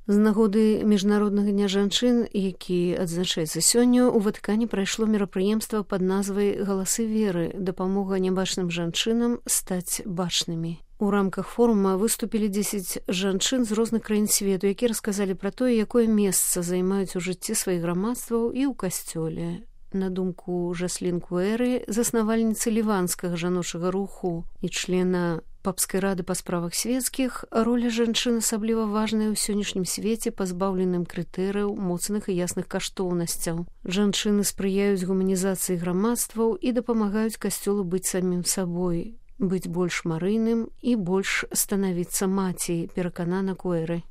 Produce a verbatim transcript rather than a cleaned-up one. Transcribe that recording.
З нагоды міжнароднага дня жанчын, які адзначаецца сёння, у Ватыкане прайшло мерапрыемства пад назвай «Галасы веры. Дапамога нябачным жанчынам стаць бачнымі». У рамках форума выступілі дзесяць жанчын з розных краін свету, якія расказалі пра тое, якое месца займаюць у жыцці сваіх грамадстваў і ў касцёле. На думку Жаслін Куэры, заснавальніцы ліванскага жаночага руху і члена папскай рады па справах свецкіх, роля жанчын асабліва важная ў сённяшнім свеце, пазбаўленым крытэрыяў, моцных і ясных каштоўнасцяў. Жанчыны спрыяюць гуманізацыі грамадстваў і дапамагаюць касцёлу быць самім сабой, быць больш марыйным і больш станавіцца маці, пераканана Куэры.